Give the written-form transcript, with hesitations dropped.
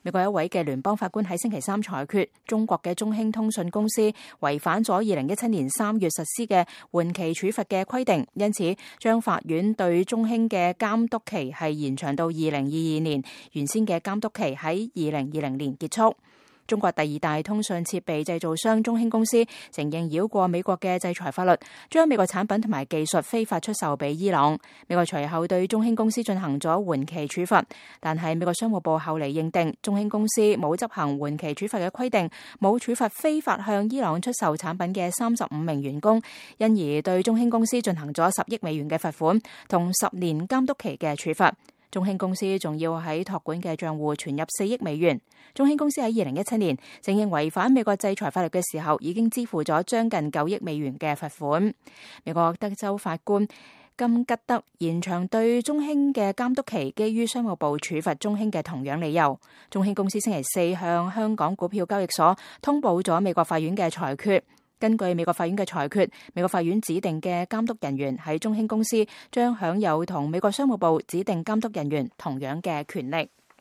美國一位嘅聯邦法官喺星期三裁決，中國嘅中興通訊公司違反咗2017年3月實施嘅緩期處罰嘅規定，因此將法院對中興嘅監督期係延長到2022年，原先嘅監督期喺2020年結束。中國第二大通訊設備製造商中興公司承認繞過美國嘅制裁法律，將美國產品同埋技術非法出售俾伊朗。美國隨後對中興公司進行咗緩期處罰，但係美國商務部後嚟認定中興公司冇執行緩期處罰嘅規定，冇處罰非法向伊朗出售產品嘅35名員工，因而對中興公司進行咗10億美元嘅罰款同10年監督期嘅處罰。中興公司仲要喺託管嘅賬戶存入4億美元。中興公司喺2017年承認違反美國制裁法律嘅時候，已經支付咗將近9億美元嘅罰款。美國德州法官金吉德延長對中興嘅監督期，基於商務部處罰中興嘅同樣理由。中興公司星期四向香港股票交易所通報咗美國法院嘅裁決。根據美國法院嘅裁決，美國法院指定嘅監督人員喺中興公司將享有同美國商務部指定監督人員同樣嘅權力。